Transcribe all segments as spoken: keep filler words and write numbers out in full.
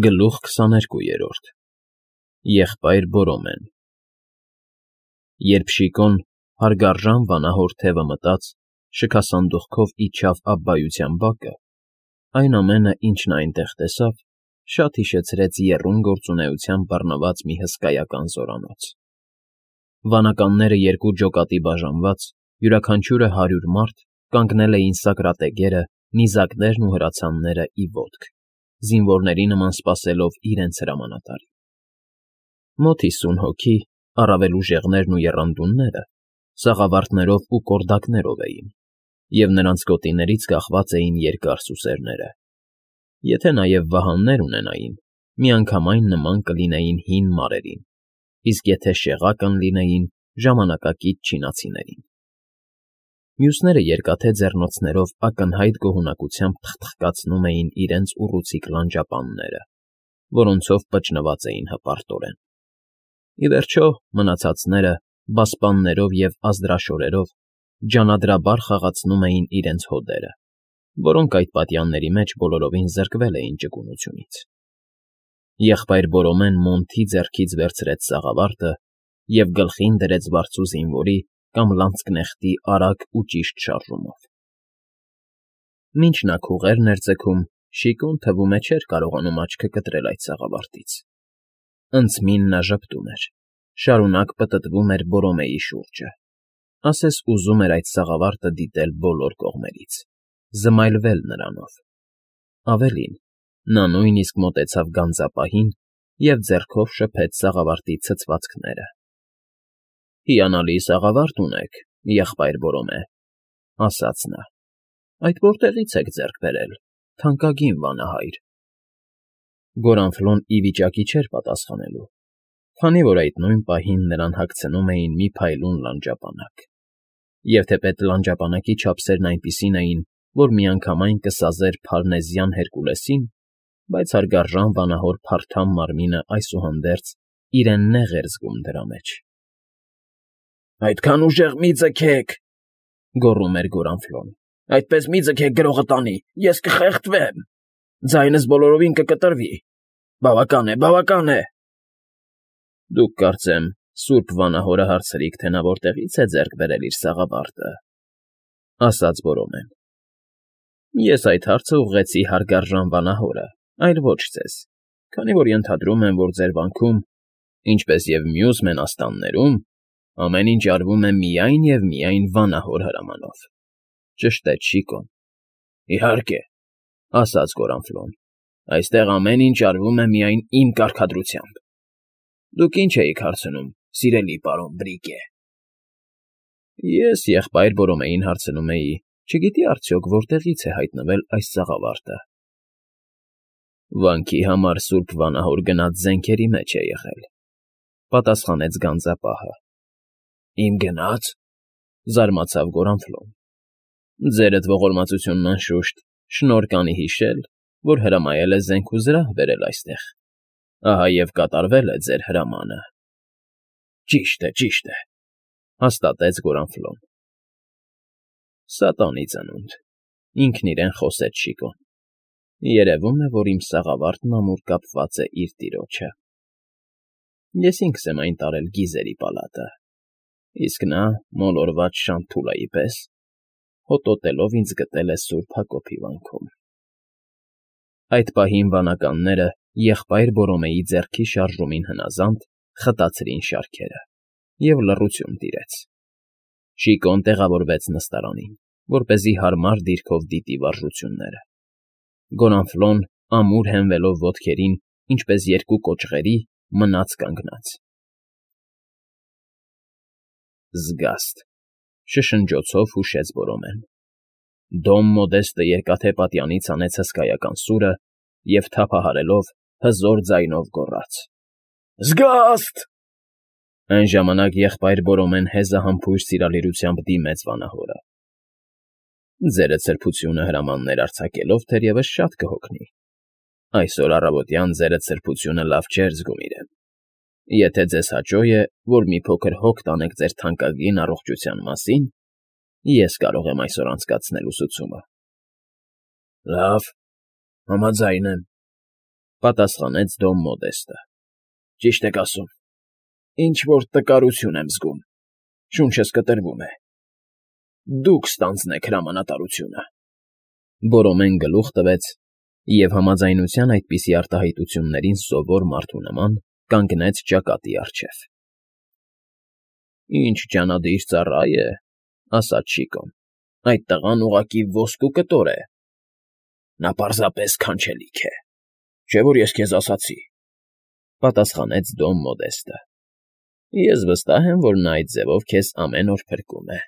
Գլուխ քսաներկուերորդ Եղբայր Բորոմեն Երբ Շիկոն հարգարժան վանահոր թևը մտած, շքասանդուղքով իջավ ապբայության բակը, այն ամենը, ինչ նա այնտեղ տեսավ, շատ հիշեցրեց եռում գործունեությամբ բռնված մի հսկայական զորանոց. վանականները երկու ջոկատի բաժանված, յուրաքանչյուրը հարյուր մարդ, կանգնել էին սակրատեգերը, նիզակներն ու հրացանները ի ոտք, զինվորների նման սպասելով իրենց հրամանատարին։ Մոտ հիսուն հոգի, առավել ուժեղներն ու եռանդունները, սաղավարտներով ու կորդակներով էին, և նրանց գոտիներից կախված էին երկար սուսերները. եթե նաև վահաններ ունենային, միանգամայն նման կլինեին հին մարերին, իսկ եթե շեղակ ընլինեին, ժամանակակից չինացիներին։ Մյուսները երկաթե ձեռնոցներով ակնհայտ գոհունակությամբ թխթխկացնում էին իրենց ուռուցիկ լանջապանները, որոնցով պճնված էին հպարտորեն։ Ի վերջո, մնացածները, բասպաններով և ազդրաշորերով, ջանադրաբար խաղացնում էին իրենց հոդերը, որոնք այդ պատյանների մեջ բոլորովին զրկվել էին ճկունությունից։ Եղբայր Բորոմեն մոնթի ձեռքից վերցրեց սաղավարտը և գլխին դրեց վարձու զինվորի կամ լանցկնեխտի արագ ու ճիշտ շարժումով։ Մինչ նա քուղերն էր ձգում, Շիկոն, թվում է, չէր կարողանում աչքը կտրել այդ սաղավարտից։ Ընձմին նա ժպտում էր, շարունակ պտտվում էր Բորոմեի շուրջը, ասես ուզում էր այդ սաղավարտը դիտել բոլոր կողմերից, զմայլվել նրանով։ Ավելին, նա նույնիսկ մոտեցավ գանձապահին և ձեռքով շփեց սաղավարտի ցցվածքները։ ֊ Հիանալի սաղավարտ ունեք, եղբայր Բորոմե, ֊ ասաց նա։ ֊ Այդ որտեղի՞ց եք ձեռք բերել, թանկագին վանահայր։ Գորանֆլոն ի վիճակի չէր պատասխանելու, քանի որ այդ նույն պահին նրան հագցնում էին մի փայլուն լանջապանակ, և թեպետ լանջապանակի չափսերն այնպիսին էին, որ միանգամայն կսազեր փարնեզյան Հերկուլեսին, բայց հարգարժան վանահոր փարթամ մարմինը այսուհանդերձ իրեն նեղ էր զգում դրա մեջ։ ֊ Այդքան ուժեղ մի՛ ձգեք,֊ գոռում էր Գորանֆլոն,֊ այդպես մի՛ ձգեք գրողը տանի, ես կխեղդվեմ, ձայնս բոլորովին կկտրվի, բավական է, բավական է… ֊ Դուք, կարծեմ, սուրբ վանահորը հարցրիք, թե նա որտեղից է ձեռք բերել իր սաղավարտը,֊ ասաց Բորոմեն։ ֊ Ես այդ հարցը ուղղեցի հարգարժան վանահորը, այլ ոչ ձեզ, քանի որ ենթադրում եմ, որ ձեր վանքում, ինչպես և մյուս մենաստաններում, ամեն ինչ արվում է միայն և միայն վանահոր հրամանով… Ճշտեց Շիկոն։ ֊ Իհարկե,֊ ասաց Գորանֆլոն,֊ այստեղ ամեն ինչ արվում է միայն իմ կարգադրությամբ… Դուք ի՞նչ էիք հարցնում, սիրելի պարոն Բրիկե։ ֊ Ես եղբայր Բորոմեին հարցնում էի, չգիտի՞ արդյոք որտեղից է հայտնվել այս սաղավարտը։ ֊ Վանքի համար սուրբ վանահոր գնած զենքերի մեջ է եղել,֊ պատասխանեց գանձապահը։ ֊ Իմ գնա՞ց,֊ զարմացավ Գորանֆլոն։ ֊ Ձերդ ողորմածությունն, անշուշտ, շնորհ կանի հիշել, որ հրամայել է զենք ու զրահ բերել այստեղ, ահա և կատարվել է ձեր հրամանը։ ֊ Ճիշտ է, ճիշտ է,֊ հաստատեց Գորանֆլոն։ ֊ Սատանի ծնունդ,֊ ինքն իրեն խոսեց Շիկոն,֊ երևում է, որ իմ սաղավարտն ամուր կապված է իր տիրոջը… Ես ինքս եմ այն տարել գիզերի պալատը, իսկ նա, մոլորված շանթուլայի պես, հոտոտելով ինձ գտել է սուրբ Հակոբի վանքում… Այդ պահին վանականները, եղբայր Բորոմեի ձեռքի շարժումին հնազանդ, խտացրին շարքերը, և լռություն տիրեց։ Շիկոն տեղավորվեց նստարանին, որպեսզի հարմար դիրքով դիտի վարժությունները։ Գորանֆլոն, ամուր հենվելով ոտքերին, ինչպես երկու կոճղերի, մնաց կանգնած։ ֊ Զգաստ,֊ շշնջոցով հուշեց Բորոմեն։ Դոմ Մոդեստը երկաթե պատյանից հանեց հսկայական սուրը և, թափահարելով, հզոր ձայնով գոռաց. «Զգա՜ստ»։ Այն ժամանակ եղբայր Բորոմեն հեզահամբույր սիրալիրությամբ դիմեց վանահորը. ֊ Ձերդ սրբությունը հրամաններ արձակելով թերևս շատ կհոգնի… Այսօր առավոտյան ձերդ սրբությունը լավ չէր զգում իրեն… Եթե ձեզ հաճո է, որ մի փոքր հոգ տանեք ձեր թանկագին առողջության մասին, ես կարող եմ այսօր անցկացնել ուսուցումը։ ֊ Լավ, համաձայն եմ,֊ Պատասխանեց Դոն Մոդեստը։ Ճիշտ եք ասում, ինչ֊որ տկարություն եմ զգում, շունչս կտրվում է։ Դուք ստանձնեք հրամանատարությունը։ Բորոմեն գլուխ տվեց և համաձայնության այդպիսի արտահայտություններին սովոր մարդու նման կանգնեց ճակատի առջև։ Ինչ ջանադիր ծառա է, ասաց Շիկոն, այդ տղան ուղղակի ոսկու կտոր է։ Նա պարզապես քանչելիք է, չէ՞ որ ես քեզ ասացի, պատասխանեց Դոն Մոդեստը։ Ես վստահ եմ, որ նա այդ ձևով քեզ ամեն օր փրկում է,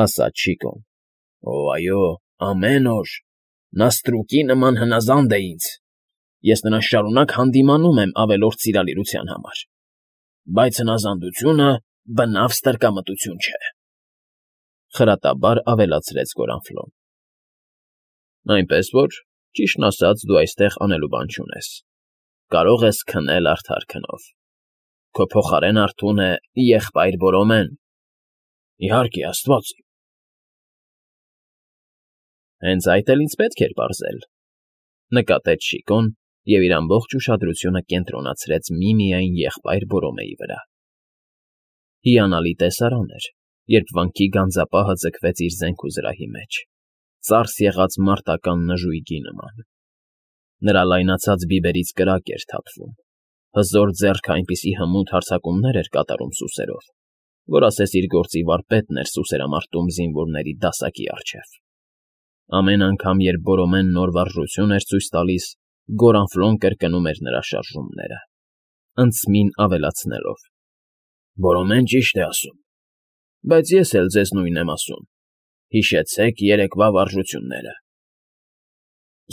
ասաց Շիկոն։ Օ, այո, ամեն օր, նա ստրուկի նման հնազանդ է ինձ, ես նրան շարունակ հանդիմանում եմ ավելորդ սիրալիրության համար, բայց հնազանդությունը բնավ ստրկամտություն չէ, խրատաբար ավելացրեց Գորանֆլոն։ Այնպես որ, ճիշտն ասած, դու այստեղ անելու բան չունես, կարող ես քնել արդար քնով, քո փոխարեն արթուն է եղբայր Բորոմեն։ Իհարկե, աստված իմ։ Հենց այդ էլ ինձ պետք էր պարզել, նկատեց Շիկոն և իր ամբողջ ուշադրությունը կենտրոնացրեց միմիայն եղբայր Բորոմեի վրա։ Հիանալի տեսարան էր, երբ վանքի գանձապահը ձգվեց իր զենք ու զրահի մեջ, ծարս եղած մարտական նժույգի նման։ Նրա լայնացած բիբերից կրակ էր թափվում, հզոր ձեռքը այնպիսի հմուտ հարձակումներ էր կատարում սուսերով, որ ասես իր գործի վարպետն էր սուսերամարտում զինվորների դասակի առջև։ Ամեն անգամ, երբ Բորոմեն նոր վարժություն էր ցույց տալիս, Գորանֆլոն կրկնում էր նրա շարժումները, ընդսմին ավելացնելով. Բորոմեն ճիշտ է ասում, բայց ես էլ ձեզ նույնն եմ ասում, հիշեցեք երեկվա վարժությունները։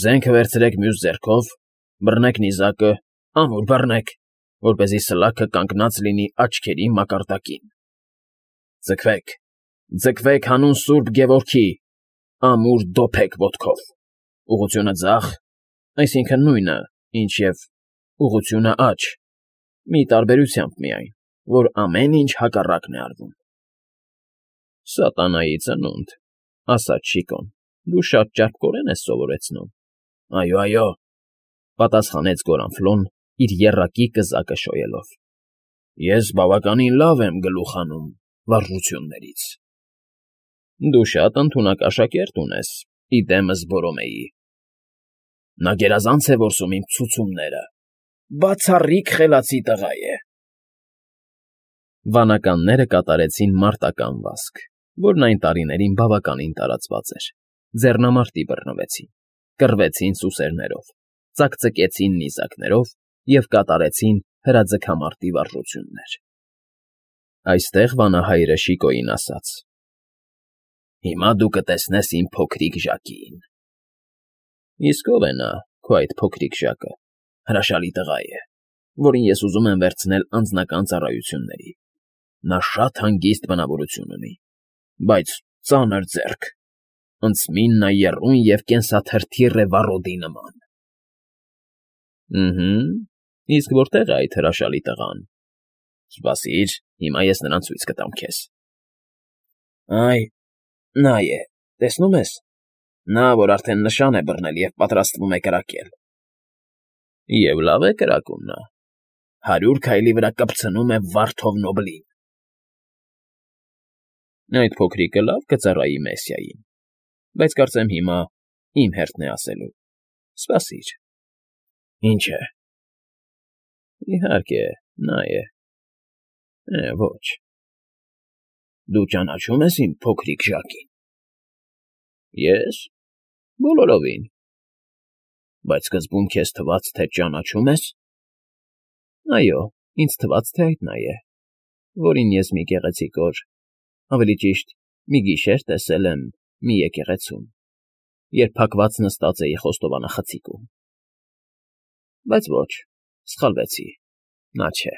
Զենքը վերցրեք մյուս ձեռքով, բռնեք նիզակը, ամուր բռնեք, որպեսզի սլաքը կանգնած լինի աչքերի մակարդակին։ Ձգվեք, ձգվեք հանուն Սուրբ Գևորգի, ամուր դոփեք ոտքով, ուղղությունը ձախ, այսինքն նույնը, ինչ և ուղղությունը աջ, մի տարբերությամբ միայն, որ ամեն ինչ հակառակն է արվում։ Սատանայի ծնունդ, ասաց Շիկոն, դու շատ ճարպկորեն ես սովորեցնում։ Այո, այո, պատասխանեց Գորանֆլոն, իր եռակի կզակը շոյելով։ Ես բավականին լավ եմ գլուխ հանում վարժություններից։ Դու շատ ընդունակ աշակերտ ունես, ի դեմս Բորոմեի։ Նա գերազանց է որսում իմ ցուցումները, բացառիկ խելացի տղա է։ Վանականները կատարեցին մարտական վազք, որն այն տարիներին բավականին տարածված էր, ձեռնամարտի բռնվեցին, կռվեցին սուսերներով, ծակծկեցին նիզակներով և կատարեցին հրաձգամարտի վարժություններ։ Այստեղ վանահայրը Շիկոյին ասաց. Հիմա դու կտեսնես իմ փոքրիկ Ժակին։ Իսկ ով է նա, քո այդ փոքրիկ Ժակը, հրաշալի տղա է, որին ես ուզում եմ վերցնել անձնական ծառայությունների։ Նա շատ հանգիստ բնավորություն ունի, բայց ծանր ձեռք, ընդսմին նա եռուն և կենսաթրթիռ է վառոդի նման։ Ըհը, իսկ որտե՞ղ է այդ հրաշալի տղան։ Սպասիր, հիմա ես նրան ցույց կտամ քեզ։ Այ, նա է, տեսնում ես, նա, որ արդեն նշան է բռնել և պատրաստվում է կրակել։ Եվ լավ է կրակում նա, հարյուր քայլի վրա կպցնում է վարդով նոբլին։ Այդ փոքրիկը լավ կծառայի Մեսիային, բայց կարծեմ հիմա իմ հերթն է ասելու։ Սպասիր։ Ինչ է։ Իհարկե, նա է։ Է, ոչ։ Դու ճանաչում ես իմ փոքրիկ Ժակին։ Ես։ Բոլորովին։ Բայց սկզբում քեզ թվաց, թե ճանաչում ես։ Այո, ինձ թվաց, թե այդ նա է, որին ես մի գեղեցիկ օր, ավելի ճիշտ, մի գիշեր տեսել եմ մի եկեղեցում, երբ փակված նստած էի խոստովանախցիկում։ Բայց ոչ, սխալվեցի, նա չէ։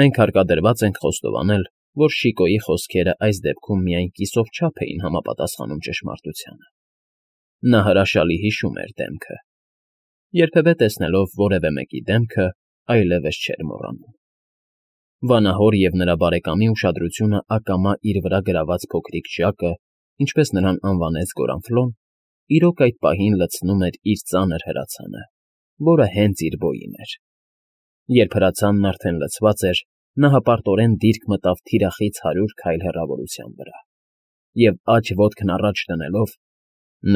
Մենք հարկադրված ենք խոստովանել, որ Շիկոյի խոսքերը այս դեպքում միայն կիսով չափ էին համապատասխանում ճշմարտությանը։ Նա հրաշալի հիշում էր դեմքը։ Երբևէ տեսնելով որևէ մեկի դեմքը, այլևս չէր մոռանում։ Վանահոր և նրա բարեկամի ուշադրությունը ակամա իր վրա գրաված փոքրիկ Ժակը, ինչպես նրան անվանեց Գորանֆլոն, իրոք այդ պահին լցնում էր իր ծանր հրացանը, որը հենց իր բոյին էր։ Երբ հրացանն արդեն լցված էր, նա հպարտորեն դիրք մտավ թիրախից հարյուր քայլ հեռավորության վրա և, աջ ոտքն առաջ դնելով,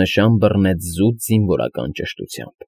նշան բռնեց զուտ զինվորական ճշտությամբ։